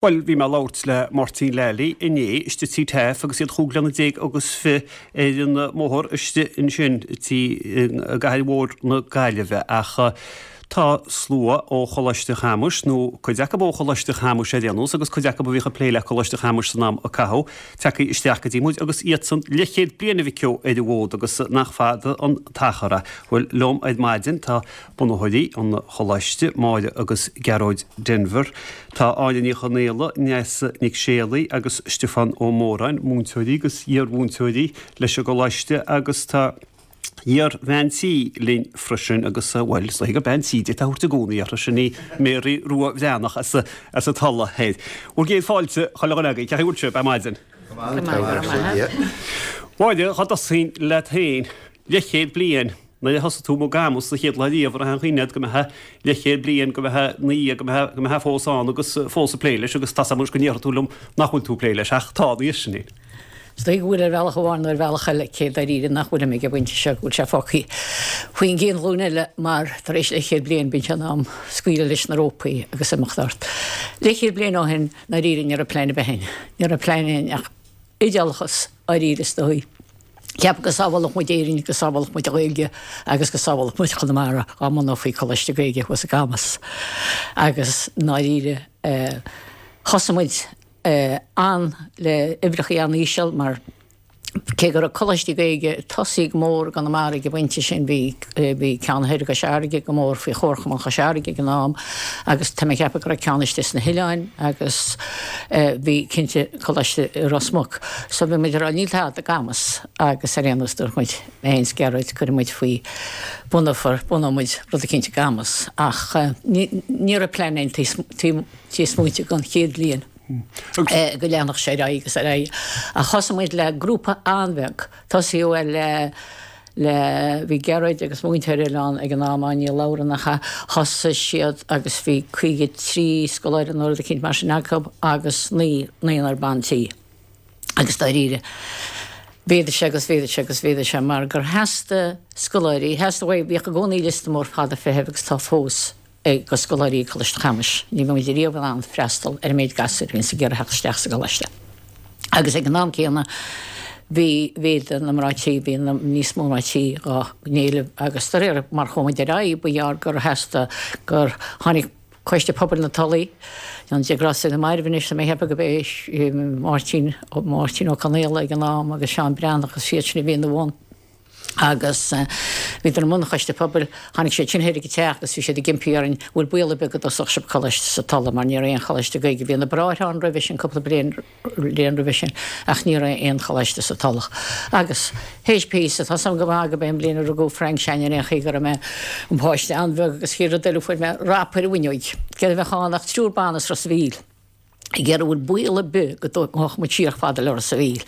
Bhuel, bhí mé ag labhairt le Máirtín Lally inné istigh Tí Taaffe agus iad chúig bliana déag agus fi ar an mbóthar istigh ansin tí i gcathair mhór na Gaillimhe ach tá slua ó Choláiste Chamuis, nó cuid acu ó Choláiste Chamuis ar aon nós agus cuid acu a bhíodh ag plé le Coláiste Chamuis san am a caitheadh, tagtha isteach go dtí muid agus iadsan leathchéad bliain a bheith acu ar an bhfód agus nach fada an t-achar é. Bhuel, liom ar maidin tá bunaitheoirí an Choláiste, Máire agus Gearóid Denvir. Tá Áine Ní Chonaola, Neasa Nic Séalaigh agus Stiofán Ó Móráin, múinteoirí agus iar-mhúinteoirí leis an gColáiste agus tá iar-bhean tí linn freisin agus, bhuel, is dóigh gur bean tí d'fhéadfá a thabhairt i gcónaí uirthi, sin í Mary Rua Bhreathnach as an Tulach Thoir. Bhur gcéad fáilte, chuile dhuine agaibh, cén chaoi a bhfuil sibh ar maidin? Go maith, go maith. Máire, dhá dtosóinn leat féin, leathchéad bliain. Nuair a thosaigh tú i gCamus an chéad lá riamh, an raibh aon chuimhne agat go mbeifeá leathchéad bliain, go mbeifeá ina dhiaidh, go mbeifeá, go mbeifeá fós ann agus fós ag plé leis agus tá 's agam anois go ndéarfaidh tú liom nach bhfuil tú ag plé leis ach tá anois, sin é. Is dóigh go bhfuil ar bhealach amháin nó ar bhealach eile, cé dáiríre nach bhfuilim ag an bpointe seo, go bhfuil sé fágtha faoin gcéad ghlúin eile mar tar éis leathchéad bliain bíonn sé in am scaoileadh leis na rópaí agus imeacht ort. Leathchéad bliain ó shin, ndáiríre ní raibh plean ar bith againn. Ní raibh plean againn ach oideachas dáiríre is dóigh. Ceapadh go sábhálfadh muid Éirinn, go sábhálfadh muid an Ghaeilge agus go sábhálfadh muid Conamara dá mbunófaí Coláiste Gaeilge thuas i gCamus. Agus i ndáiríre thosaigh muid an le uimhreachaí an-íseal mar cé go raibh coláistí Gaeilge ag tosaí go mór i gConamara ag an bpointe sin bhí bhí ceann thoir i gCois Fharraige go mór faoi Chomharchumann Chois Fharraige ag an am agus tá mé ag ceapadh go raibh ceann istigh sna hoileáin agus bhí cinnte coláiste i Ros Muc. So bhí muid ag rá níl tada i gCamus agus ar aon nós dúirt muid, mé féin 's Gearóid, cuirfidh muid faoi, bunófar, bunóidh muid rud eicínt i gCamus ach ní, ní raibh plean againn taobh, taobh smaointe don chéad bhliain go leanfadh sé ar aghaidh agus ar aghaidh. Ach thosaigh muid le grúpa an-bheag, tosaíodh le le, bhí Gearóid agus múinteoir eile ann ag an am, Áine Ní Labhra nach ea, thosaigh siad agus bhí 53 scoláire nó rud eicínt mar sin acu agus naoi, naonúr ban tí. Agus dáiríre, mhéadaigh sé agus mhéadaigh sé agus mhéadaigh sé mar gur theastaigh scoláirí, theastaigh uaidh, bhíodh i gcónaí liosta mór fada feithimh agus tá fós ag go scoláirí ag Coláiste Chamuis. Ní bheidh muid riamh in ann freastal ar an méid gasúir a bhíonns ag iarraidh theacht isteach sa gcoláiste. Agus ag an am céanna bhí mhéadaigh na mná tí, bhí níos mó mná tí á n-éileamh agus de réir mar chuaigh muid ar aghaidh ba ghearr gur theastaigh gur tháinig Coiste Pobail na Tulaí, an Dia grásta na mairbh anois, tá mé ag ceapadh go b'é Máirtín, Máirtín Ó Conaola ag an am agus Seán Breathnach agus iad sin a bhí ina bhun. Agus bhíodar i mbun an choiste pobail. Tháinig siad sin thoir ag an teach agus bhí siad ag impí orainn, bhfuil baol ar bith go dtosódh sibh coláiste sa Tulaigh mar ní raibh aon choláiste Gaeilge. Bhí na Bráithre ann roimhe sin, cúpla bliain bliain roimhe sin, ach ní raibh aon choláiste sa Tulach. Agus théis píosa, tá 's agam go maith go b'é an bhliain a rugadh Frank Seánie ar aon chaoi go raibh mé an páiste an-bheag agus chéad rud eile fuair mé rap ar an bhfuinneoig. Céard a bheadh ann ach triúr ban as Ros a' Mhíl. ag iarraidh bhfuil baol ar bith go dtógfadh muid siar chomh fada le Ros a' Mhíl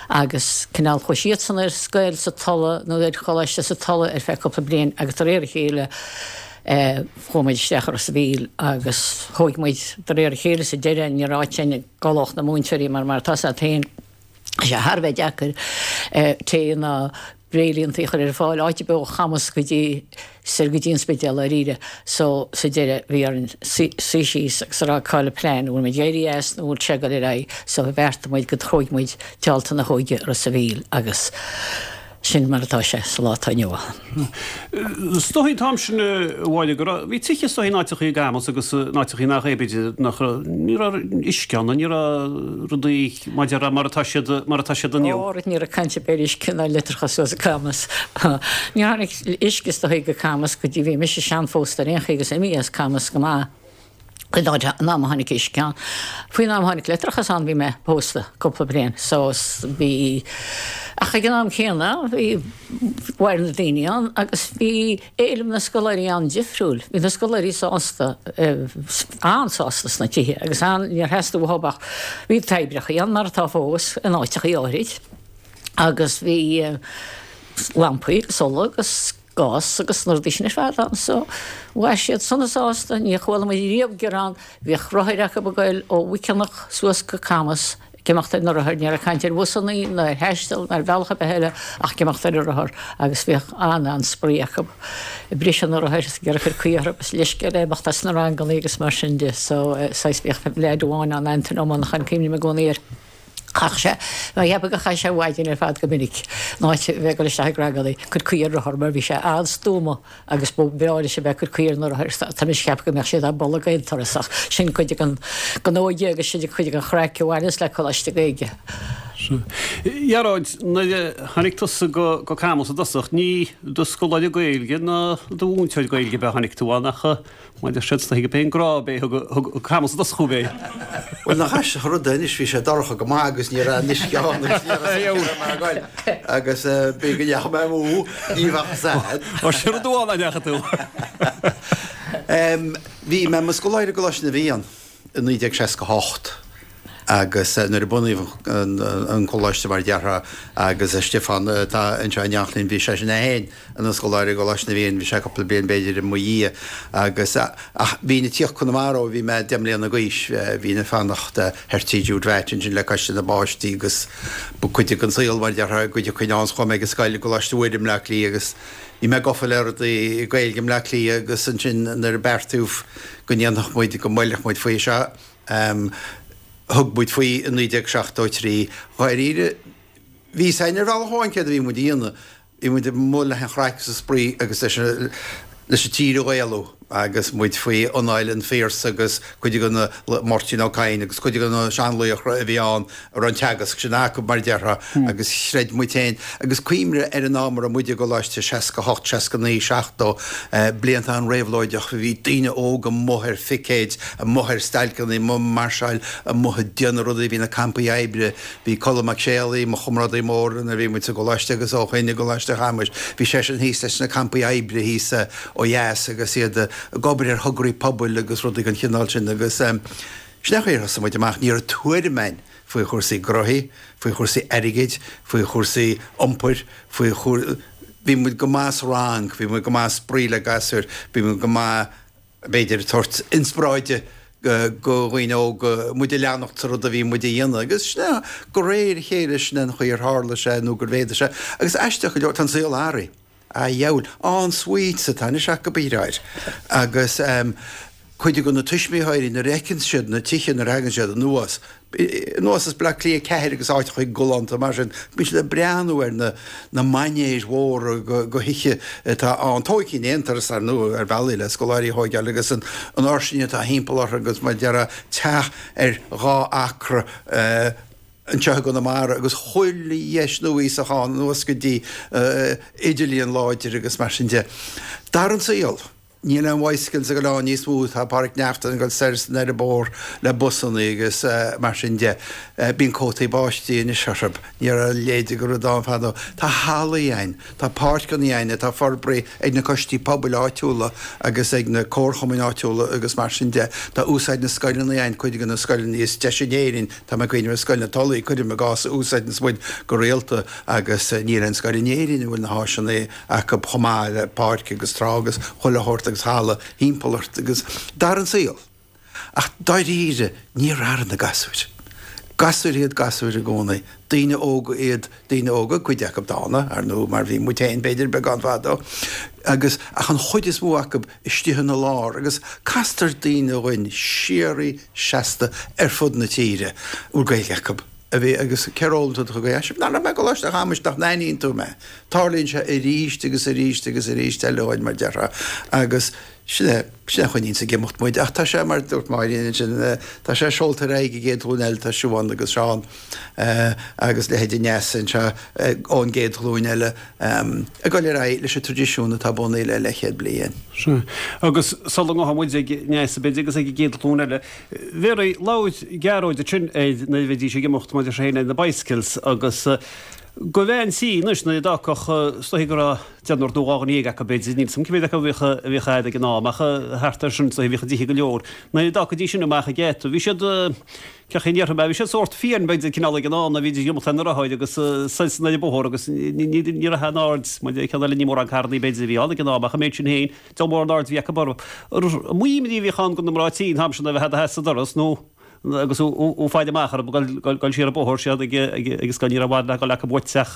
agus cineál chuaigh siadsan ar scoil sa Tulaigh nó ar choláiste sa Tulaigh ar feadh cúpla bliain agus de réir a chéile chuaigh muid isteach i Ros a' Mhíl agus thóig muid de réir a chéile sa deireadh ní raibh áit againn a gcodlódh na múinteoirí mar mar atá 's agat féin Tá sé thar a bheith deacair tae ná bréidhlíontaí a chur ar fáil áit ar bith ó Chamus go dtí soir go dtí an Spidéal dáiríre. So sa deireadh bhí orainn suí síos agus a rá cá'il an plean, an bhfuil muid ag éirí as nó an bhfuil sé ag dul ar aghaidh. So bheartaigh muid go dtógfaidh muid Téaltadh na hÓige Ros a' Mhíl agus sin mar atá sé sa lá atá inniu ann. Is dóigh an t-am sin a Mháire go raibh, bhí tithe is dóigh in áiteachaí i gCamus agus in áiteachaí nach é b'fhéidir nach raibh, ní raibh uisce ann, ní raibh rudaí mar a mar atá siad mar atá siad inniu. Ó, ní raibh caint ar bith ar uisce ná leictreachas thuas i gCamus. Níor tháinig uisce is dóigh go Camus go dtí bhí mise seanphósta ar aon chaoi agus imithe as Camus go maith. Faoin am a tháinig uisce ann, faoin am a tháinig leictreachas ann bhí mé pósta cúpla bliain so bhí, ach ag an am céanna bhí, mhair na daoine ann agus bhí éileamh na scoláirí an-difriúil. Bhí na scoláirí sásta, an-sásta sna tithe agus an, níor theastaigh uathu ach, bhí toibreachaí ann mar atá fós in áiteachaí áirid agus bhí lampaí agus ola agus, gás agus na rudaí sin ar fad ann so mhair siad sona sásta, níor chuala muid riamh gearán, bhíodh rothair acu ag goil ó Mhuiceanach suas go Camus. Ag imeacht ar na rothair, ní raibh caint ar bhusannaí ná ar thaisteal ná ar bhealach ar bith eile ach ag imeacht ar an rothar agus bhíodh an-an-spraoi acu ag briseadh na rothair is ag iarraidh cur caoi orthu agus leithscéal ag imeacht as na rangannaí agus mar sin de. So, saghas bhíodh leaid amháin ann, Antain Ó Monacháin, cuimhním i gcónaí air. Chaith sé, mé ag ceapadh gur chaith sé an mhaidin ar fad go minic in áit a bheith ag dul isteach ag rangannaí, ag cur caoi ar rothar mar bhí sé an-stuama agus ba bhreá leis a bheith ag cur caoi ar na rothair. Tá mise ag ceapadh go mbeadh siad á bolgadh aon turas ach sin cuid den óige agus sin cuid den chraic a bhaineas le Coláiste Gaeilge. Ghearóid, nuair a tháinig tusa go Camus i dtosach, ní do scoláire Gaeilge ná do mhúinteoir Gaeilge ab ea a tháinig tú ann ach Mar a deir siad, is dóichí gurb é an grá ab é a thug Camus i dtosach thú, ab é? Bhuel, nach aisteach an rud é anois, bhí sé dorcha go maith agus ní raibh an uisce ann agus ní raibh a fhios ag goil agus b'fhéidir go ndeachaigh mé amú, ní bheadh fhios a'd. Ó, sin rud amháin nach ndeachaigh tú. Bhí mé i mo scoláire i gColáiste na bhFiann i 1968 agus nuair a bunaíodh an coláiste mar a déarfá agus Stiofán atá anseo in éineacht linn, bhí seisean é féin ina scoláire i gColáiste na bhFiann, bhí sé cúpla bliain b'fhéidir i mo dhiaidh agus ach bhínn ag tíocht Conamara ó bhí mé 10 mbliana d'aois, bhínn ag fanacht thoir tí Jude Mheait ansin le Coiste na bPáistí agus ba cuid den saol mar a déarfá go dtiocfainn ann 's chuaigh mé ag an scoil i gColáiste Mhuire i mBleá Cliath agus bhí mé gafa le rudaí Gaeilge i mBleá Cliath agus ansin nuair a beartaíodh go ndéanfadh muid, go mbuailfeadh muid faoi seo, thug muid faoi i 1973. Dháiríre, bhí fhios a'inn ar bhealach amháin céard a bhí muid a dhéanamh, bhí muid amuigh le an chraic agus an spraoi agus leis an, leis an tír a Ghaelú agus muid faoi anáil an Phiarsaigh agus cuid de na, Máirtín Ó Cadhain agus cuid de na seanlaochra a bhí ann a raibh an teagasc sin acu mar a déarfá agus chreid muid féin agus cuimhnigh ar an am a raibh muid i gcoláiste, 68, 69, 70, blianta an-réabhlóideach, bhí daoine óga amuigh ar phicéid, amuigh ar stailceanna, amuigh ag máirseáil, amuigh ag déanamh rudaí, bhí na campaí oibre, Bhí Colm Mac Séalaigh, mo chomrádaí mór nuair a bhí muid sa gcoláiste agus ó shoin i gColáiste Chamuis, bhí seisean thíos leis na campaí oibre thíos ó dheas agus iad ag obair ar thograí pobail agus rudaí den chineál sin agus sin é an chaoi ar thosaigh muid amach. Ní raibh tuairim a'inn faoi chúrsaí gnóthaí, faoi chúrsaí airgid, faoi chúrsaí iompair, faoi chúr-, bhí muid go maith sa rang, bhí muid go maith ag spraoi le gasúir, bhí muid go maith b'fhéidir, tabhairt inspioráide go dhaoine óga, muid a leanacht sa rud a bhí muid a dhéanamh. Agus sin é, de réir a chéile, sin é an chaoi ar tharla sé nó gur mhéadaigh sé. Agus aisteach go leor, tá an saol athraithe. A dheabhail, en-suites atá anois acu a dheartháir. Agus cuid de na tuismitheoirí, nuair a fheiceann siad na tithe, nuair a thagann siad anuas, anuas as Bleá Cliath 4 agus áiteacha galánta mar sin, bíonn siad ag breathnú ar na na mainéir mhóra de thithe atá ann, tógtha in aon turas ar ndóigh ar bhealaí le scoláirí a thóigeáil agus an fhairsinge atá thimpeall orthu agus mar a déarfá teach ar dhá acra anseo i gConamara agus chuile dheis núíosach ann anuas go dtí idirlíon láidir agus mar sin de. D'athraigh an saol. Níl aon bhicycles ag dul ann níos mó, tá Pádraic Neachtain ag dul soir is anoir an bóthar le busanna agus mar sin de. Bíonn cótaí báistí anois orthu, ní raibh a leithéid de rud ann fadó. Tá hallaí ann, tá páirceanna ann atá forbraithe ag na coistí pobail áitiúla agus ag na comharchumainn áitiúla agus mar sin de. Tá úsáid na scoileanna ann, cuid de na scoileanna is deise in Éirinn, tá mé ag cuimhneamh ar Scoil na Tulaí, cuirim i gcás, a úsáideanns muid go rialta agus níl aon scoil in Éirinn a bhfuil na háiseanna acu chomh maith le páirc agus trá agus chuile shórt agus halla thimpeall ort agus d'athraigh an saol. Ach dáiríre, níor athraigh na gasúir. Gasúir iad gasúir i gcónaí. Daoine óga iad daoine óga, cuid acu dána, ar ndóigh, mar bhí muid féin b'fhéidir beagán fadó, agus ach an chuid is mó acu istigh ina lár agus castar daoine dhuinn síoraí seasta ar fud na tíre a bhfuil Gaeilge acu. a bhí agus cér fhoghlaim tú do chuid Gaeilge? Nach raibh mé i gColáiste Chamuis, nach n-aithníonn tú mé? Tarlaíonn sé arís agus arís agus arís eile dhuinn, mar déarfá, agus sin é, sin é a choinníonns ag imeacht muid. Ach tá sé, mar a dúirt Máirín ansin, tá sé seolta ar aghaidh ag an gcéad ghlúin eile, tá Siubhán agus Seán agus leithéidí Neasa anseo ón gcéad ghlúin eile ag dul ar aghaidh leis an traidisiún atá bunaithe le leathchéad bliain. Sea. Agus sula ngabhfaidh muid ag Neasa, b'fhéidir, agus ag an gcéad ghlúin eile, Mary, labhair Gearóid ansin ar nuair a bhídís ag imeacht maidir féin ar na bicycles agus do bhean tí anois nuair a d'fhágfadh is dóichí go raibh deichniúr nó 12 dhuine acu b'fhéidir, níl 'fhios a'm cé mhéad acu a bhíodh a bhíodh a'd ag an am ach thart ar sin is dóichí bhíodh a dtithe go leor. Nuair a d'fhágfaidís sin amach ag geata bhí siad cén chaoi a ndéarfaidh mé, bhí siad sórt fiáin b'fhéidir cineál ag an am nuair a bhídís ag imeacht ar na rothair agus soir is anoir an bóthar agus ní raibh aon aird maidir le ceann eile ní mórán carrannaí b'fhéidir a bhí ann ag an am ach an méid sin féin Diabhal mór an aird a bhí acu orthu. An mó imní a bhíodh ann do na mná tí an t-am sin a bheith i do sheasamh sa doras nó. agus thú ag fáil amach orthu ag dul siar an bóthar siar ag an scoil, ní raibh i bhfad le dhul acu uait ach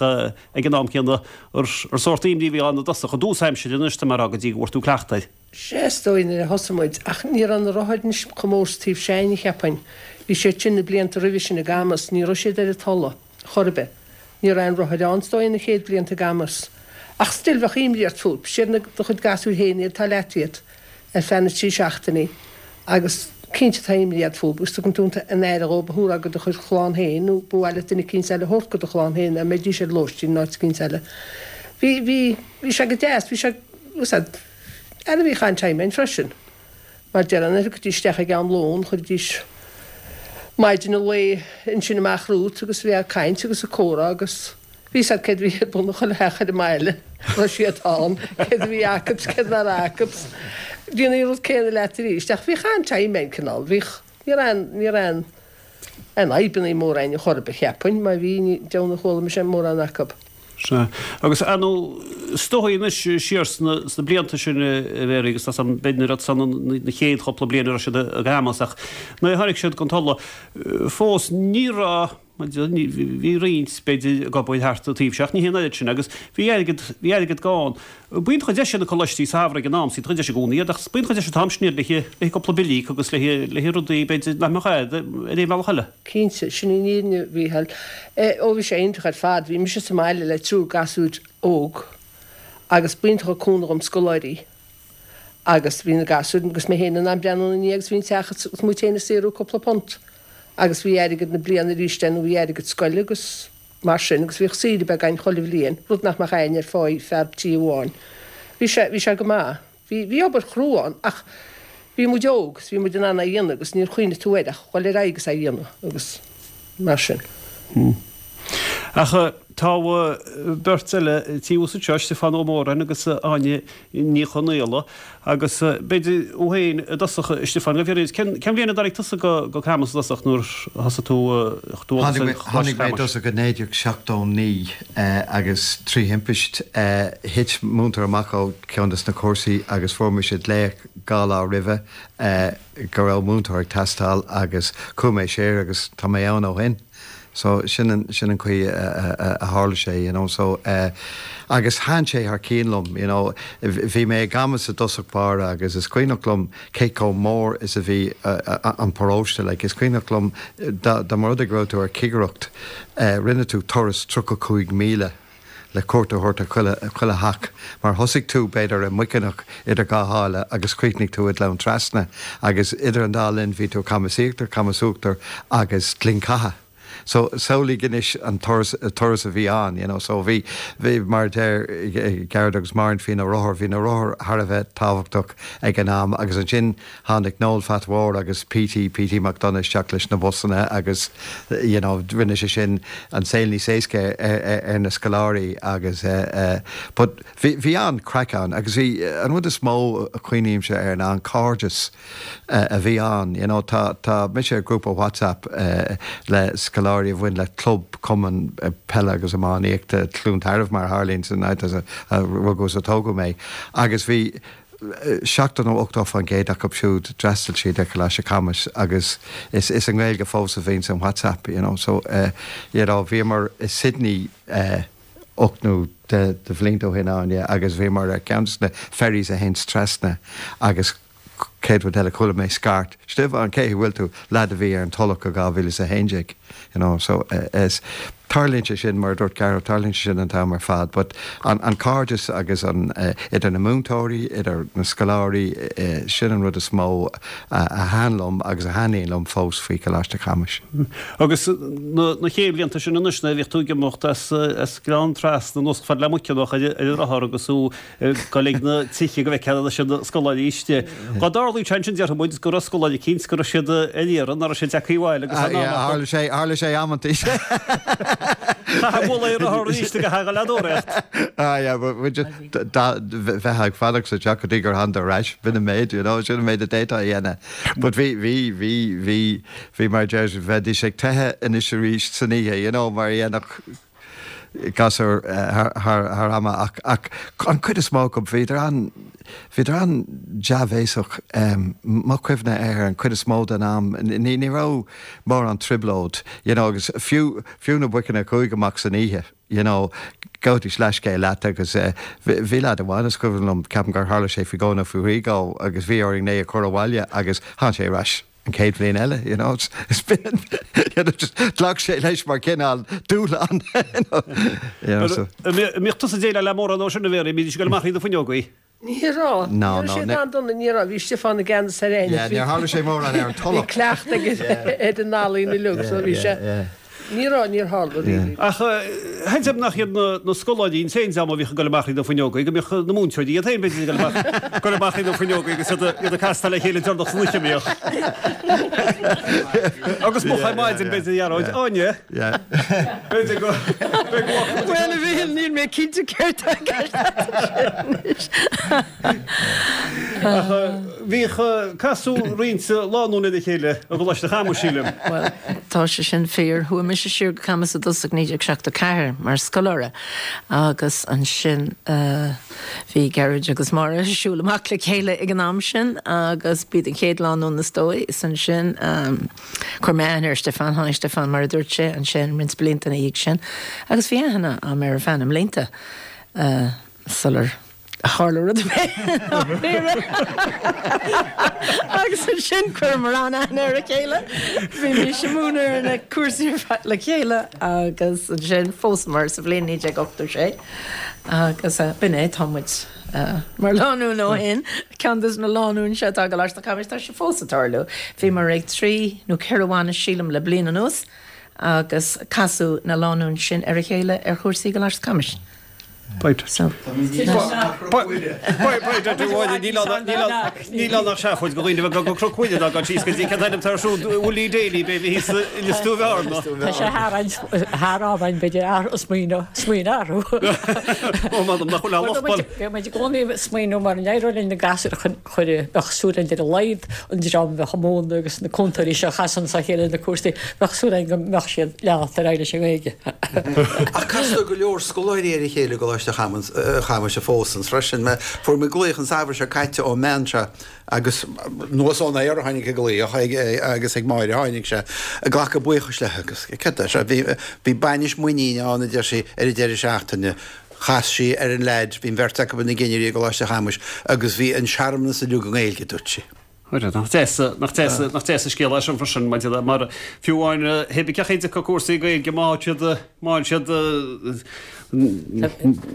ag an am céanna ar sórt imní a bhí ann i dtosach, i dtús aimsire anois tá mé a rá go dtí go bhfuair tú cleachtadh air. Sea, is dóigh nuair a thosaigh muid, ach ní raibh na rothair anois chomh mór sa taobh s'againne, cheapfainn. Bhí siad sin na blianta roimhe sin i gCamus, ní raibh siad ar an Tulaigh chor ar bith. Ní raibh aon rothair ann, is dóigh, na chéad bhlianta i gCamus. Ach still, bheadh imní ort fúthu. Siad na, do chuid gasúir féin iad, tá leat iad ar feadh na dtrí seachtainí agus cinnte tá imní ort fúthu agus tugann tú an aire dhóibh a thabharfá go do chuid chlann féin nó ba mhaith leat duine eicínt eile a thabhairt go do chlann féin dá mbeidís ar lóistín in áit eicínt eile. Bhí, bhí, bhí sé go deas, bhí sé, úsáid, ara bhíodh an-time ann freisin. Mar déarfá nuair a thiocfaidís isteach ag am lóin, chuiridís maidin an lae ansin amach romhat agus bheadh caint agus comhrá agus bhí fhios agat céard a bhí ar bun i chuile theach ar an mbaile, raibh siad ann, céard a bhí acu 's céard nach raibh acu 's déanamh an rud céanna leat arís. Ach bhíodh an-time ann cineál, bhíodh, ní raibh aon, ní raibh aon, aon fhadhbannaí móra ann chor ar bith, cheapfainn, má bhí, ní deimhin ar chuala mise mórán acu. Sea. Agus, ar ndóigh, is dóigh anois siar sna, sna blianta sin a Mhary, agus tá san, b'fhéidir nuair atá san na chéad chúpla bliain a raibh siad i gCamus, ach nuair a tháinig siad gon Tulaigh, fós ní raibh, ní, bhí roinnt, b'fhéidir, ag obair thart an taobh seo, ach ní hé an oiread sin, agus bhí airgead, bhí airgead gann. B'iontach an deis iad na coláistí samhraidh ag an am, is iontach an deis i gcónaí iad, ach b'iontach an deis an t-am sin iad le haghaidh cúpla bille a íoc agus le haghaidh rudaí, b'fhéidir, nach mbeadh agat ar aon bhealach eile. Cinnte, sin í an fhírinne, a Mhícheáil. Ó, bhí sé iontach ar fad. Bhí mise sa mbaile le triúr gasúir óg agus b'iontach an cúnamh dhom scoláirí agus bhí na gasúir agus mé féin in ann breathnú ina ndiaidh agus bhí an teach agus muid féin ag saothrú cúpla punt agus bhí airgead na bliana arís ann nó bhí airgead scoile agus mar sin agus bhíodh saoire beag againn chuile bhliain, rud nach mbeadh éinne ar pháí fear tí amháin. Bhí sé, bhí sé go maith. Bhí, bhí obair chrua ann ach bhí muid óg agus bhí muid in ann é a dhéanamh agus níor chuimhnigh tú air ach dhul ar aghaidh agus é a dhéanamh agus mar sin. Ach tá beirt eile taobh thuas anseo, Stiofán Ó Móráin agus Áine Ní Chonaola. Agus b'fhéidir thú féin i dtosach, a Stiofáin, gabh fhios, cén bhliain a dtáinig tusa go Camus i dtosach nuair a thosaigh tú dualgas ar Choláiste Tháinig mé i dtosach i 1979 agus trí thimpist thit múinteoir amach ó cheann de na cúrsaí agus fuair mise glaoch dhá lá roimhe go raibh múinteoir ag teastáil agus chuaigh mé siar agus tá mé ann ó shin. So sin an, sin an chaoi a tharla sé, you know, so eh agus thaitin sé thar cionn liom, you know, bhí mé i gCamus i dtosach báire agus is cuimhneach liom cé chomh mór is a bhí an paróiste, like is cuimhneach liom dá, dá mba rud é go raibh tú ar chigireacht eh rinne tú turas 35 míle le cuairt a thabhairt ar chuile, chuile theach mar thosaigh tú, b'fhéidir, i Muiceanach idir dhá sháile agus chríochnaigh tú i nGleann Trasna agus idir an dá linn bhí tú i Camas Íochtar, Camas Uachtar agus Gleann Catha. So samhlaigh anois an turas, turas a bhí ann, you know. So bhí, bhí, mar a deir Gearóid agus Máirín faoi na rothair, bhí na rothair thar a bheith tábhachtach ag an am agus ansin Tháinig Noel Phat Mhóir agus Petey, Petey McDonagh isteach leis na busanna agus you know rinne sé sin an saol níos éasca ar na scoláirí agus but bhí, bhí an-chraic ann agus bhí, an rud is mó a chuimhnímse air ná an cairdeas a bhí ann you know tá, tá mise ar ghrúpa WhatsApp le scoláirí a bhain le club, cumann peile agus iománaíochta Chluain Tarbh mar a tharlaíonn san áit a rugadh is a tógadh mé agus bhí 70 nó 80% acu siúd, d'fhreastail siad ar Choláiste Chamuis agus is is i nGaeilge fós a bhíonn san WhatsApp, you know. So, you know, bhíomar i Sydney 8 nó 10 de bhlianta ó shin ann, yeah, agus bhíomar ar ceann de na ferries a théanns trasna agus chéad rud eile chuala mé scairt, Stiofán, cén chaoi a bhfuil tú? Leaid a bhí ar an Tulach i 2011, you know, so is, tarlaíonn sé sin, mar a dúirt Gearóid, tarlaíonn sé sin an t-am ar fad, but an, an cairdeas agus an, idir na múinteoirí, idir na scoláirí, sin an rud is mó a thaitin liom agus a thaitníonn liom fós faoi Choláiste Chamuis. Agus na, na chéad bhlianta sin anois nuair a bhíodh tú ag imeacht as, as Gleann Trasna anuas chomh fada le Muiceanach ar, ar an rothar agus thú ag dul ag na tithe go bhfeicfeá leis na scoláirí istigh. Dá dtarlaíodh sé ansin déarfaidh muid go raibh scoláire eicínt go raibh siad ar iarraidh, nach raibh siad tagtha abhaile agus an am acu. Tharla sé, tharla sé amantaí. Chaithfeá bualadh ar rothar arís go haghaidh a leadóireacht. Ah yeah, but we just, bheith ag fanacht sa teach go dtí gur thánadar ar ais, b'in an méid, you know, sin an méid a d'fhéadfá a dhéanamh. But bhí, bhí, bhí, bhí, bhí mar a deir, bheidís ag teitheadh anois arís san oíche, you know, mar a dhéanfadh. gasúir thar ama ach ach an chuid is mó acu bhíodar an bhíodar an-dea-bhéasach mo chuimhne air an chuid is mó den am ní ní raibh mórán trioblóid you know agus fiú fiú na boiceanna a chuaigh amach san oíche you know gabhaidís leithscéal leat agus bhí leaid amháin is cuimhin liom ceapaim gur tharla sé faoi dhó nó faoi thrí dhó agus bhí orainn é a chur abhaile agus tháinig sé ar ais an chéad bhliain eile you know it's been you know just ghlac sé leis mar cineál dúshlán you know you know so. An mbíodh tusa ag déileáil le mórán dó sin a Mhéaraí, an mbídís ag dul amach thríd na fuinneogaí? Ní raibh. Ní raibh siad an-dona, ní raibh. Bhí Stiofán i gceannas ar aon. Yeah, níor tharla sé mórán ar an Tulach. Bhí cleachtadh aige ar an ealaín uilig, so bhí sé, ní raibh, níor tharla really. Ach seans nach iad na scoláirí an t-aon dream a bhíodh ag dul amach thríd na fuinneogaí, go mbíodh na múinteoirí iad féin b'fhéidir ag dul amach, dul amach thríd na fuinneogaí agus iad iad ag castáil le chéile deireanach san oíche a mbíodh. Agus moch ar maidin b'fhéidir a Ghearóid. Áine? B'fhéidir go Bhuel, a Mhichíl, níl mé cinnte céard tá i gceist anois. Ach bhíodh casadh roinnt lánúin ar a chéile i gColáiste Chamuis, sílim. Bhuel, tá sé sin fíor. Chuaigh mise siar go Camus i dtosach 1974 mar scoláire agus ansin bhí Gearóid agus Máire ag siúl amach le chéile ag an am sin agus b'iad an chéad lánúin is dóigh. Is ansin. Chuir mé aithne ar Stiofán, tháinig Stiofán, mar a dúirt sé, ansin roinnt blianta ina dhiaidh sin agus bhí aithne a'm air ar feadh na mblianta sular tharla rud ar bith dáiríre. Agus ansin chuireamar an-aithne ar a chéile, bhímis ag múineadh ar na cúrsaí ar fad le chéile agus ansin phósamar sa bhliain 1986 agus b'in é, tá muid. Mar lánúin ó shin, ceann des na lánúin seo atá i gColáiste Chamuis, tá sé fós ag tarlú. Bhíomar ag trí nó ceithre bhainis, sílim, le bliain anuas agus casadh na lánúin sin ar a chéile ar chúrsaí i gColáiste Chamuis. So. Níl ann ach seafóid do dhaoine a bheith ag dul go Cnoc Mhuire ná dul síos go dtí cén t-ainm atá air siúd, Willie Daly, b'fhéidir thíos i Lios Tuathail. Tá sé thar am againn b'fhéidir athrú smaoineamh smaoineamh athrú. Ó m'anam nach bhfuil a lucht bail. Bheadh muid i gcónaí ag smaoineamh mar an éireodh linn na gasúir a chur bheadh súil againn ar a laghad an dream a bheadh ag múineadh agus na cúntóirí seo a chasann a chéile na cúrsaí bheadh súil againn go mbeadh siad leanacht ar aghaidh leis an nGaeilge. Ach castar go leor scoláirí ar a chéile i gColáiste Chamuis fós freisin. Fuair mé glaoch an samhradh seo caite ón mbean seo Agus anuas ón aer a tháinig an glaoch agus ag Máire a tháinig sé, ag glacadh buíochais léi agus céard é seo, bhí, bhí bainis muiníne ann, a deir sí, ar an deireadh seachtaine. Chas sí ar an leaid, bhí an bheirt acu ina gcinnirí i gColáiste Chamuis agus bhí an searmanas uilig i nGaeilge, a dúirt sí. Nach deas, nach deas, nach deas an scéal é sin freisin, maidir le, mar fiú amháin, pé ar bith cén chaoi a dtiocfadh cúrsaí Gaeilge má tá siad, má siad,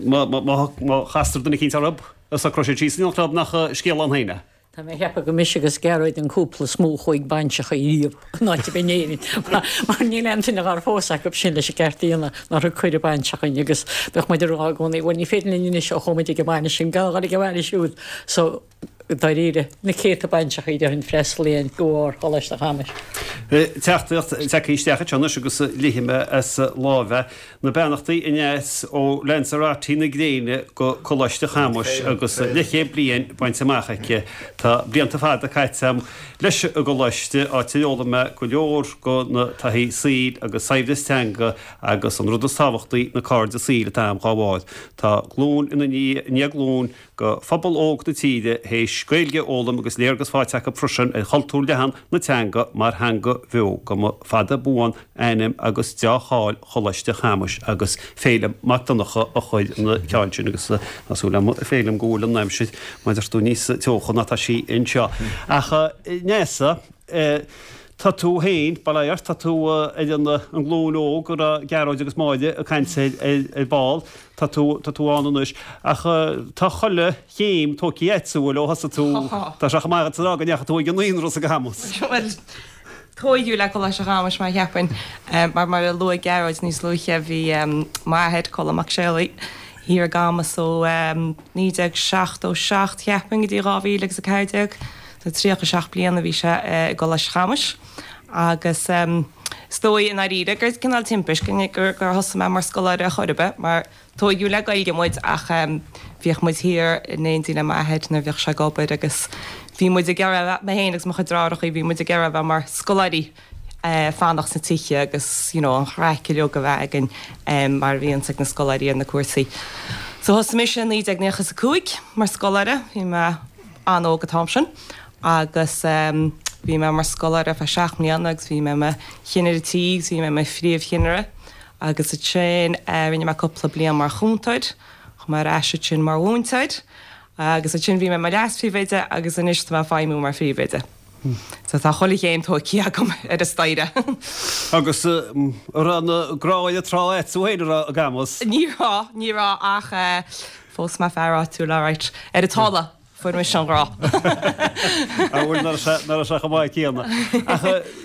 má, má, má chastar duine eicínt orthu. Socróidh siad síos in éineacht leo nach scéal ann féin é. Tá mé ag ceapadh gur mise agus Gearóid an cúpla is mó a chuaigh ag bainseacha riamh in áit ar bith in Éirinn mar níl aon duine dhár phós acu sin leis an gceart a dhéanamh nár thug cuireadh bainse chugainn agus bheadh muid ag rá i gcónaí bhuel ní féidir linn anois ó chuaigh muid ag an bhainis sin gan a dhul ag an bhainis siúd so dáiríre na céadta bainseacha déarfainn freastalaíonn go bharr Choláiste Chamais. Teachtaireacht tagtha isteach anseo anois agus léifidh mé as láimh é. Na beannachtaí aneas ó Lanzarote na gréine go Coláiste Chamuis agus leathchéad bliain bainte amach aici. Tá blianta fada caite agam leis an gColáiste, áit ar fhoghlaim mé go leor go na taithí saoil agus saibhreas teanga agus an rud is tábhachtaí, na cairde saoil atá agam dhá bharr. Tá glúin ina ndiaidh glúin go phobal óg na tíre théis Gaeilge a fhoghlaim agus léargas faighte acu freisin ar chultúr leathan na teanga mar theanga bheo. Go mba fada buan ainm agus deá-cháil Choláiste Chamuis agus Féilim Mac Donncha a chuir na ceann sin agus tá súil agam a Féilim go bhfuil an aimsir mar a deir tú níos teocha ná tá sí anseo. Ach Neasa, tá tú féin, bail ó Dhia ort, tá tú ar an nglúin óg a raibh Gearóid agus Máire ag caint air ar ball. Tá tú, tá tú ann anois. Ach tá chuile chéim tógtha agatsa, bhuel, ó thosaigh tú, tá sé chomh maith agat a rá go ndeachaigh tú ag an naíonra sa gCamus. Bhuel, tóigeadh le Coláiste Chamais mar cheapfainn. Mar mar a luaigh Gearóid níos luaithe, bhí m'athair, Colm Mac Séalaigh, thiar i gCamus ó 1977 cheapfainn go dtí 2014. So 37 bliain a bhí sé i gColáiste Chamais. Agus is dóigh i ndáiríre gur cineál timpist gur thosaigh mé mar scoláire ar chor ar bith mar tóigeadh le Gaeilge muid ach bhíodh muid thiar in éindí le m'athair nuair a bhíodh sé ag obair agus bhí muid ag iarraidh, mé féin agus mo chuid deartháireacha, bhí muid ag iarraidh a bheith mar scoláirí. fanacht sna tithe agus you know an chraic uilig a bheith againn mar a bhíonns ag na scoláirí ar na cúrsaí. So thosaigh mise i 1995 mar scoláire, bhí mé an-óg an t-am sin agus bhí mé mar scoláire ar feadh 7 mbliana agus bhí mé i mo chinnire tí agus bhí mé i mo phríomhchinnire agus ansin rinne mé cúpla bliain mar chúntóir, chuaigh mé ar ais ansin mar mhúinteoir agus ansin bhí mé i mo leas-phríomhoide agus anois tá mé ag feidhmiú mar phríomhoide. So tá chuile chéim tógtha agam ar an staighre. Agus an raibh an grá ar an trá agat féin an raibh i gCamus? Ní raibh, ní raibh ach phós mé fear áitiúil alright. Ar an Tulaigh fuair mise an grá. Á bhuel, ná raibh sé, ná raibh sé chomh maith céanna. Ach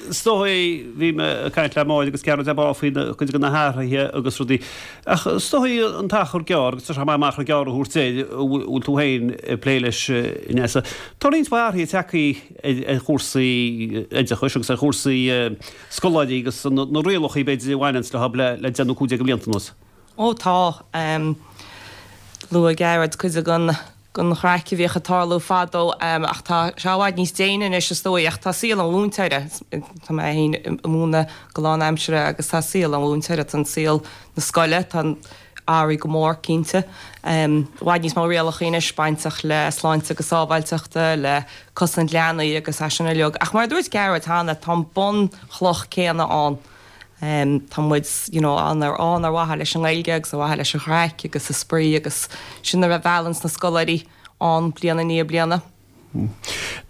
is dóigh, bhí mé ag caint le Máire agus Gearóid ar ball faoi na cuid de na hathruithe agus rudaí. Ach is dóigh an t-achar gearr, agus tá sé maith an achar gearr a thabhairt air, a bhfuil tú féin ag plé leis a Neasa. Tá roinnt mhaith athruithe tagtha ar chúrsaí oideachais agus ar chúrsaí scoláirí agus na rialacha b'fhéidir a bhaineanns leo le 10 nó 15 de bhlianta anuas. Ó tá. Luaigh Gearóid cuid den den chraic a bhíodh ag tarlú fadó ach tá sé i bhfad níos déine anois is dóigh ach tá saol an mhúinteora, tá mé féin ag múineadh go lánaimseartha agus tá saol an mhúinteora, tá an saol na scoile, tá an athraithe go mór cinnte. I bhfad níos mó rialacha anois bainteach le sláinte agus sábháilteachta, le cosaint leanaí agus é sin uilig. Ach mar a dúirt Gearóid cheana, tá an bunchloch céanna ann. Tá muid you know ann ar ann ar mhaithe leis an nGaeilge agus ar mhaithe leis an chraic agus an spraoi agus sin a mheallanns na scoláirí ann bliain i ndiaidh bliana.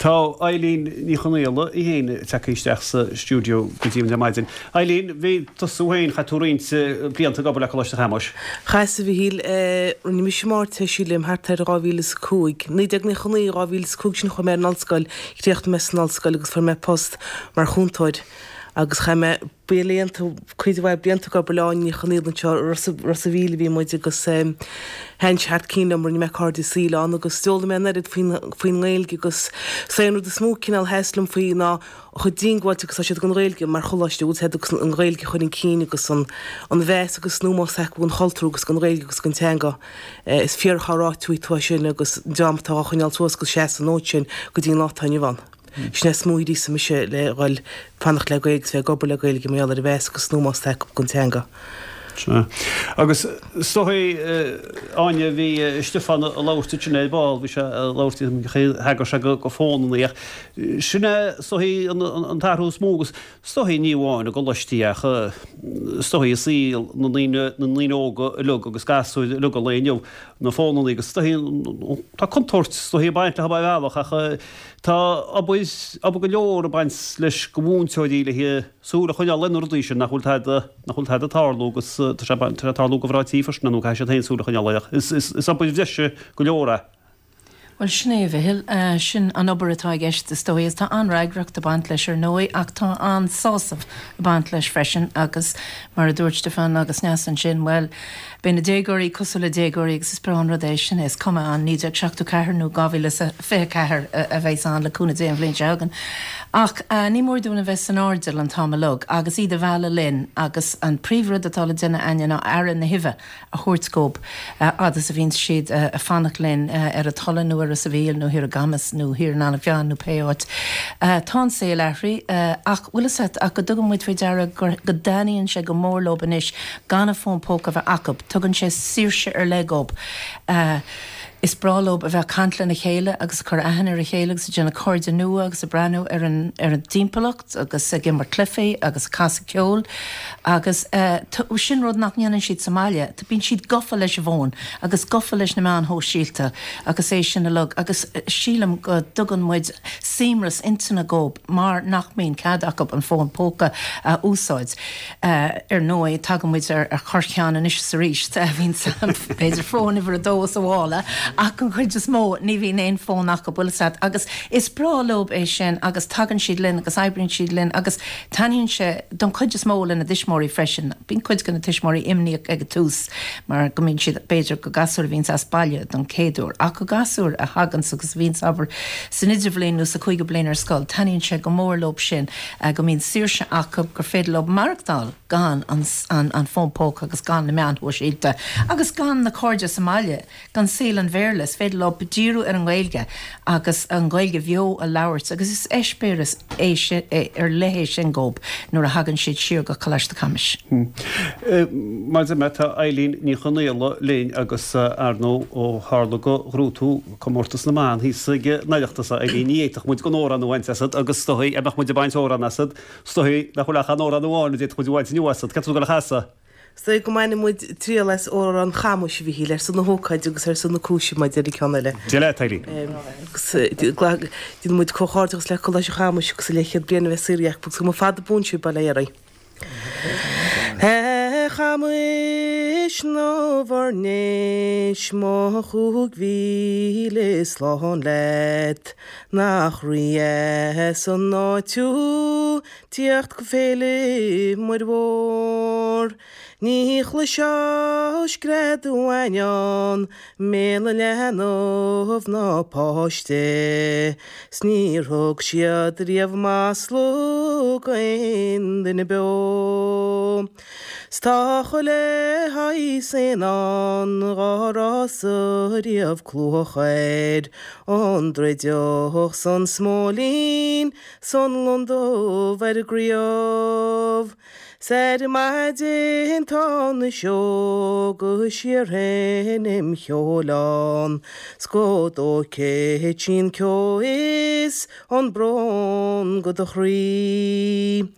Tá Eileen Ní Chonaola í féin tagtha isteach sa stiúideo go dtí ar maidin. Eileen, bhí tusa féin, chaith tú roinnt blianta ag obair le Coláiste Chamuis. Chaitheas, a Mhichíl. Rinne mise m'Ardteist sílim thart ar 2005. 1999, 2005 sin chuaigh mé ar an ollscoil, chríochnaigh mé san ollscoil agus fuair mé post mar chúntóir. Agus chaith mé blianta, cuid mhaith blianta ag obair le Áine Ní Chonaola anseo i Ros a' Mhíl a bhí muid agus thaitin sé thar cionn liom, rinne mé cairde saoil ann agus d'fhoghlaim mé an oiread faoin, faoin nGaeilge agus is é an rud is mó cineál a sheas liom faoi ná chomh diongbháilte agus atá siad don Ghaeilge mar choláiste, bhfuil a fhios agat agus an Ghaeilge a chur chun cinn agus an, an mheas agus an ómós acu don chultúr agus don Ghaeilge agus don teanga. Is fíor atá ráite uait tú é sin agus an dream atá á choinneáil suas agus seasamh an fhóid sin go dtí an lá atá inniu ann. Sin é is mó a ghríosaigh mise le dhul fanacht le Gaeilge agus bheith ag obair le Gaeilge mar gheall ar an mheas agus an ómós atá acu don teanga. Sea. Agus is dóigh, Áine, bhí Stiofán ag labhairt ansin ar ball, bhí sé ag labhairt, thagair sé go fónannaí ach sin é is dóigh an t-athrú is mó agus is dóigh ní amháin i gcoláistí ach is dóigh i saol na ndaoine, na ndaoine óga uilig agus gasúir uilig an lae inniu, na fónannaí agus is dóigh tá contúirt is dóigh ag baint leo ar bhealach ach Tá obair, obair go leor ag baint leis go mhúinteoirí le súil a choinneáil ar na rudaí sin nach bhfuil tada, nach bhfuil tada ag tarlú agus tá sé, tá sé ag tarlú go bhráití freisin nó caithfidh siad féin súil a choinneáil air ach is, is, is obair bhreise go leor é. Bhuel, sin é, a Mhichíl. Sin an obair atá i gceist, is dóigh, agus tá an-fhreagracht ag baint leis, ar ndóigh, ach tá an-sásamh ag baint leis freisin agus mar a dúirt Stiofán agus Neasa ansin, bhuel, Beidh na déagóirí cosúil le déagóirí agus is breá an rud é sin é, is cuma an 1974 nó 2024 a bheas ann, le cúnamh Dé an bhliain seo chugainn. Ach ní mór dúinn a bheith san airdeall an t-am uilig agus iad a mhealladh linn agus an príomhrud atá le déanamh a'inne ná aire na huibhe a thabhairt dhób fhad is a bhíonns siad ag fanacht linn ar an Tulaigh nó ar Ros a' Mhíl nó thiar i gCamus nó thiar in Eanach Mheáin nó pé áit. Tá an saol athraithe ach bhfuil fhios a't ach go dtugann muid faoi deara go dtaitníonn sé go mór leob anois gan an fón póca a bheith acu. Tugann sé saoirse ar leith dhób. Is breá leob a bheith ag caint lena chéile agus ag cur aithne ar a chéile agus ag déanamh cairde nua agus ag breathnú ar an ar an dtimpeallacht agus ag imirt cluichí agus ag casadh ceoil agus sin rud nach ndéanann siad sa mbaile. Bíonn siad gafa leis an bhfón agus gafa leis na meáin shóisialta agus é sin uilig agus sílim go dtugann muid suaimhneas intinne dhób mar nach mbíonn cead acu an fón póca a úsáid. Ar ndóigh, tagann muid ar chorrcheann anois is arís. Bíonn, b'fhéidir, fón uimhir a dó sa mhála, ach an chuid is mó, ní bhíonn aon fón acu, bhfuil fhios a't. Agus is breá leob é sin agus tagann siad linn agus oibríonn siad linn agus taitníonn sé don chuid is mó lena dtuismitheoirí freisin. Bíonn cuid de na tuismitheoirí imníoch ag an tús mar go mbíonn siad, b'fhéidir, go gasúir a bhíonns as baile don chéad uair. Ach go gasúir a thaganns agus a bhíonns, abair, san idirbhliain nó sa chúigiú bliain ar scoil, taitníonn sé go mór leob sin. go mbíonn saoirse acu, gur féidir leo maireachtáil gan an fón póca agus gan na meáin shóisialta agus gan na cairde sa mbaile, gan saol an Bhéarla. Béarla, is féidir leo díriú ar an nGaeilge agus an Ghaeilge bheo a labhairt agus is eispéireas é sin, ar leith é sin dhóibh nuair a thagann siad siar go Coláiste Chamuis. Mar a deir mé, tá Eileen Ní Chonaola linn agus ar ndóigh ó tharla go ghnóthaigh tú Comórtas na mBan thíos ag an Oireachtas, a Eileen, ní fhéadfadh muid gan amhrán a bhaint asat agus is dóigh, dá mbeadh muid ag baint amhrán asat, is dóigh nach bhfuil ach an amhrán amháin a d'fhéadfadh muid a bhaint inniu asat. Cad tá tú ag dul a chasadh? Is dóigh go mbainfidh muid triail as Amhrán Chamuis, a Mhichíl, ar son na hócáide agus ar son na cúise, mar a deir an ceann eile. Dia leat, Eileen. Agus déanann muid comhghairdeachas le Coláiste Chamuis agus a leathchéad bliain a bheith saothraithe acu agus go mba fada buan sibh, bail ó Dhia oraibh. A Chamuis nó bhur ndéis, mo 5000 slán leat, nach rídheas an áit thú, Tíocht go Féile Muire Mhór. Ní chloisfeá scread uainneán i mbéal an leanbh ná páiste, 's níor thug siad riamh masla d'aon duine beo. 'S tá chuile shaghas éan ann dhá raibh-sa riamh cluach air, ón druideach 's an smóilín 's an lon dubh ar an gcraobh. 'S ar maidin tá na sióga síorseinm cheoil ann, 's go dtógfaidh sí an ceo is an brón go do chroí.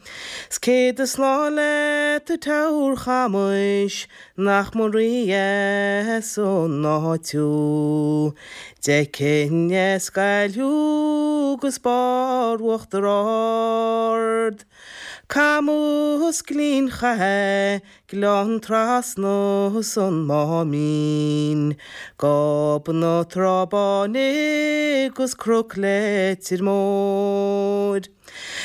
'S céad slán leat a Teamhair Chamuis Nach mba rídheas an áit thú. D'fheicfinn as Gaillimh thú 'gus barr Uachtar Ard. Camus Gleann Chatha, Gleann Trasna 's an Máimín, Gob na Trá Báine 'gus Cnoc Leitir Móir.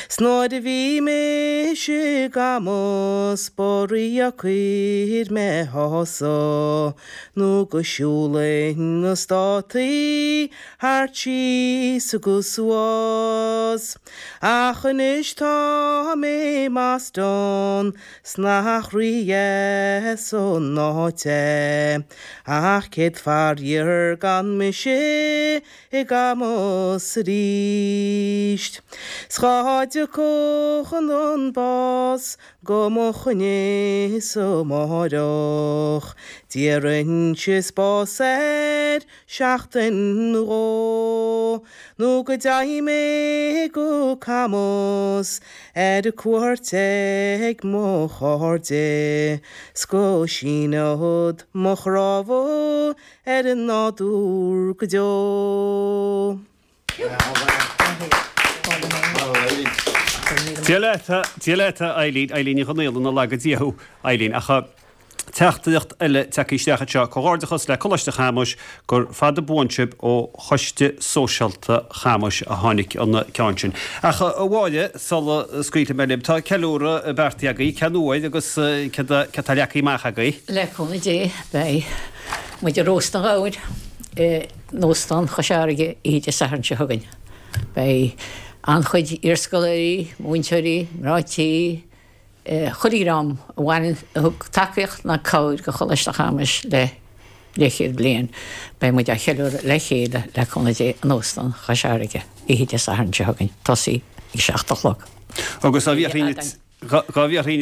'S nuair a bhí mise i gCamus ba rídheacair mé shásamh nó go siúlainn na státaí thart síos agus suas. Ach anois tá mé i mBoston 's nach rídheas an áit é ach céad faraor gan mise i gCamus arís. 'S dhá dtiocfadh an bás go mo choinne-sa amáireach, d'iarrfainnse spás air seachtain nó dhó, nó go dteigh mé go Camus ar cuairt ag mo chairde, 's go síneod mo chnámha ar an nádúr go deo. Dia leat, Dia leat, a Eileen, Eileen Ní Chonaola, na laga Dia thú, Eileen. Ach teachtaireacht eile tagtha isteach anseo, Comhghairdeachas le Coláiste Chamuis, gur fada buan sibh ó Choiste Sóisialta Chamuis a tháinig an ceann sin. Ach a Mháire, sula scaoilfidh mé libh, tá ceiliúradh beartaithe agaibh, cén uair agus céard atá leagtha amach agaibh? Le cúnamh Dé, beidh muid ag róstadh an ghabhair in Óstán Chois Fharraige oíche Dé Sathairn seo chugainn. Beidh an-chuid iarscoláirí, múinteoirí, mná tí, chuile dhream a bhaineann, a thug tacaíocht ná cabhair go Choláiste Chamuis le leathchéad bliain. Beidh muid á cheiliúradh le chéile, le cúnamh Dé, in Óstán Chois Fharraige oíche Dé Sathairn seo chugainn, tosaí ag 7 a chlog. Agus dá bhfiafraínn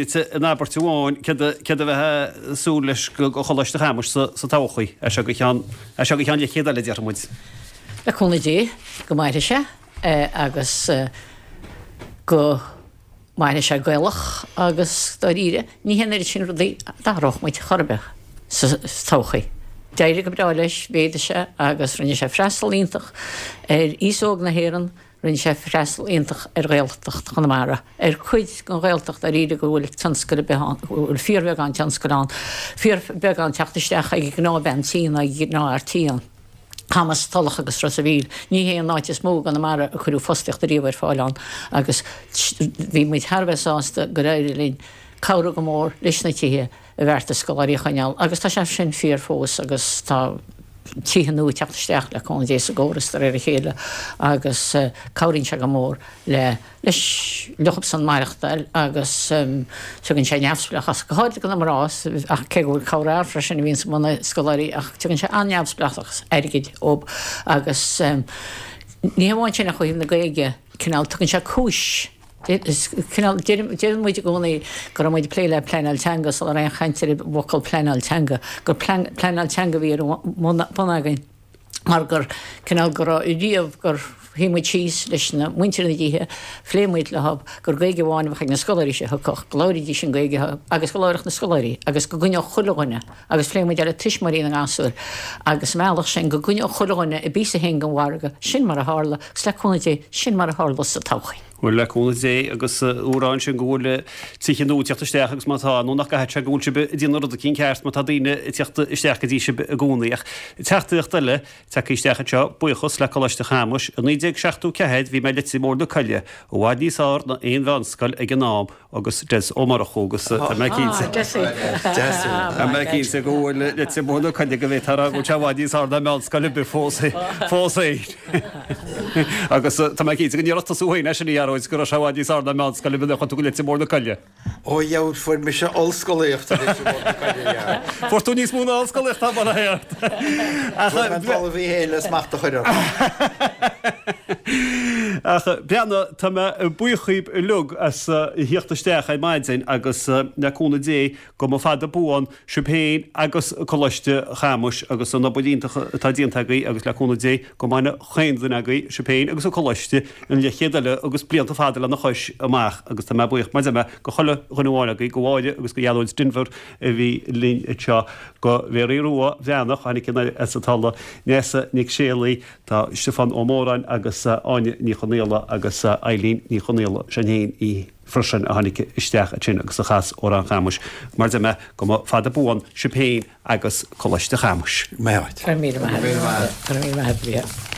díot in abairt amháin céard a bheifeá ag súil leis go Choláiste Chamuis sa todhchaí, as seo go ceann, as seo go ceann leathchéad eile, déarfaidh muid. Le cúnamh Dé, go mairfidh sé agus go mairfidh sé Gaelach agus dáiríre, ní hé an oiread sin rudaí a d'athródh muid chor ar bith sa todhchaí. D'éirigh go breá leis, mhéadaigh sé agus rinne sé freastal iontach ar aos óg na hÉireann, rinne sé freastal iontach ar Ghaeltacht Chonamara, ar cuid den Ghaeltacht dáiríre go bhfuil tionscal ar bith ann, go bhfuil fíorbheagán tionscail ann, fíorbheagán teacht isteach ag an ngnáthbhean tí ná ag an ngnáthfhear tí ann. Camas, Tulach agus Ros a' Mhíl. Ní hé an áit is mó i gConamara a cuireadh fostaíocht ariamh ar fáil ann agus bhí muid thar a bheith sásta gur éirigh linn cabhrú go mór leis na tithe a bheartaigh scoláirí a choinneáil agus tá sé sin fíor fós agus tá. tithe nua ag teacht isteach le cúnamh Dé sa gcóras de réir a chéile agus cabhraíonn sé go mór le leis leofasan maireachtáil agus tugann sé neamhspleáchas, go háirithe do na mná, ach cé go bhfuil corrfhear freisin a bhíonns ina scoláirí ach tugann sé an-neamhspleáchas airgid dóibh agus ní hamháin sin ach ó thaobh na Gaeilge, cineál, tugann sé cúis. Cineál, deireann muid i gcónaí go raibh muid ag plé le pleanáil teanga sula raibh aon chaint ar an bhfocal pleanáil teanga, gur pleanáil teanga a bhí ar bun againn mar gur, cineál, go raibh riamh gur shuigh muid síos leis na muintir na dtithe, phléigh muid leo gur Gaeilge amháin a bheadh ag na scoláirí seo a thiocfadh, go labhraídís an Ghaeilge agus go labharfadh na scoláirí agus go gcoinneodh chuile dhuine agus phléigh muid é le tuismitheoirí na ngasúr agus sa mbealach sin go gcoinneodh chuile dhuine a bpíosa féin den mhargadh, sin mar a tharla agus le cúnamh Dé, sin mar a tharlós sa todhchaí. Bhuel, le cúnamh Dé agus ag rá ansin go bhfuil tithe nua ag teacht isteach agus má tá, nó nach gcaithfidh sé go bhfuil sibh ag déanamh rud eicínt ceart má tá daoine ag teacht isteach go dtí sibh i gcónaí. Ach teachtaireacht eile tagtha isteach anseo, buíochas le Coláiste Chamuis. I 1974 bhí mé i Leitir Móir na Coille, i bhfad níos fhearr ná aon mheánscoil ag an am, agus Des Ó Murchú agus tá mé cinnte Tá mé cinnte go bhfuil Leitir Móir na Coille go bhféadfá a rá go bhfuil sé i bhfad níos fearr ná meánscoil ar bith fós fós féin. Agus tá mé cinnte go ndéarfadh tusa féin é sin a Ghearóid go raibh sé i bhfad níos fearr ná meánscoil ar bith nuair a chuaigh tú go Leitir Móir na Coille. Ó yeah, fuair mise ollscolaíocht i Leitir Móir na Coille, yeah. Fuair tú níos mó ná ollscolaíocht, tá bail ort. Ach Fuair mé an talamh í féin le smacht a chur orm. Ach Breandán, tá mé buíoch dhíbh uilig as a thíocht isteach ar maidin agus le cúnamh Dé go mba fada buan sibh féin agus Coláiste Chamuis agus an obair iontach atá déanta agaibh agus le cúnamh Dé go mbaine chaon duine agaibh, sibh féin agus an Coláiste, an leathchéad eile agus blianta fada lena chois amach agus tá mé buíoch mar a deir mé go chuile dhuine amháin agaibh, go Mháire agus go Ghearóid Denvir a bhí linn anseo, go Mhéaraí Rua Bhreathnach a tháinig anoir as an Tulaigh, Neasa Nic Séalaigh, Tá Stiofán Ó Móráin agus Áine Ní Chonaola agus Eileen Ní Chonaola, sin féin í freisin, a tháinig isteach ansin agus a chas Amhrán Chamuis. Mar a deir mé, go mba fada buan sibh féin agus Coláiste Chamuis. Maith agat. Go raibh míle maith agat. Go raibh míle maith agat.